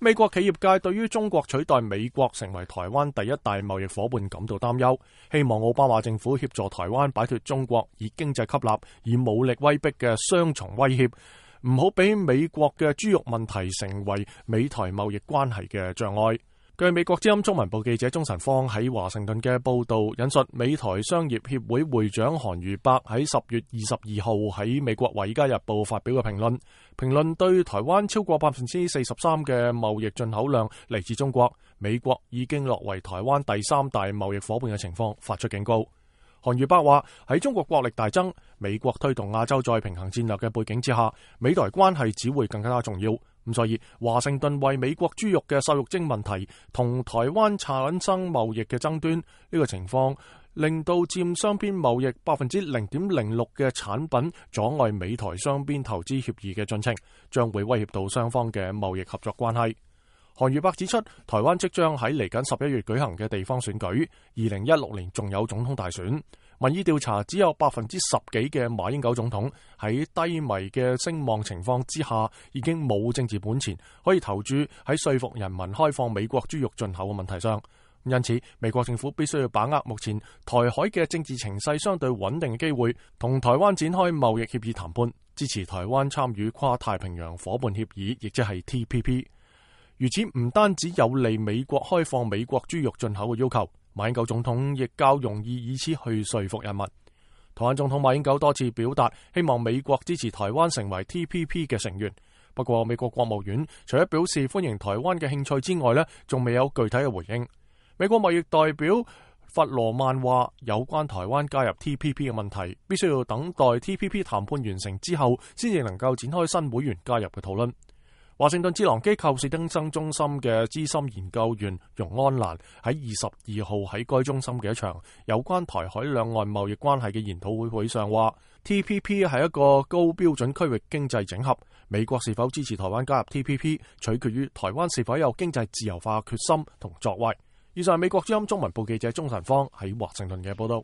美國企業界對於中國取代美國成為台灣第一大貿易夥伴感到擔憂，希望奧巴馬政府協助台灣擺脫中國以經濟吸納、以武力威逼嘅雙重威脅，唔好俾美國嘅豬肉問題成為美台貿易關係嘅障礙。據美國之音中文部記者鐘晨芳喺華盛頓嘅報道引述美台商業協會會長韓瑜伯喺10月22號喺美國《華爾街日報》發表嘅評論對台灣超過43%嘅貿易進口量嚟自中國，美國已經落為台灣第三大貿易夥伴嘅情況發出警告。韓瑜伯話喺中國國力大增、美國推動亞洲再平衡戰略嘅背景之下，美台關係只會更加重要。咁所以華盛頓為美國豬肉嘅瘦肉精問題同台灣產生貿易嘅爭端，呢個情況令到佔雙邊貿易0.06%嘅產品阻礙美台雙邊投資協議嘅進程，將會威脅到雙方嘅貿易合作關係。韓瑜伯指出，台灣即將喺嚟緊11月舉行嘅地方選舉，2016年仲有總統大選。民意調查只有10%幾嘅馬英九總統喺低迷嘅聲望情況之下，已經冇政治本錢可以投注喺說服人民開放美國豬肉進口嘅問題上。因此，美國政府必須要把握目前台海嘅政治情勢相對穩定嘅機會，同台灣展開貿易協議談判，支持台灣參與跨太平洋夥伴協議，亦即係 TPP。如此唔單止有利美國開放美國豬肉進口嘅要求，馬英九總統亦較容易以此去說服人民。台灣總統馬英九多次表達希望美國支持台灣成為 TPP 嘅成員，不過美國國務院除咗表示歡迎台灣嘅興趣之外，仲未有具體嘅回應。美國貿易代表弗羅曼話，有關台灣加入 TPP 嘅問題，必須要等待 TPP 談判完成之後，先至能夠展開新會員加入嘅討論。華盛頓智囊機構史丁生中心嘅資深研究員容安蘭喺22號喺該中心嘅一場有關台海兩岸貿易關係嘅研討會上話， TPP 係一個高標準區域經濟整合，美國是否支持台灣加入 TPP 取決於台灣是否有經濟自由化決心同作為。以上係美國之音中文部記者鐘晨芳喺華盛頓嘅報道。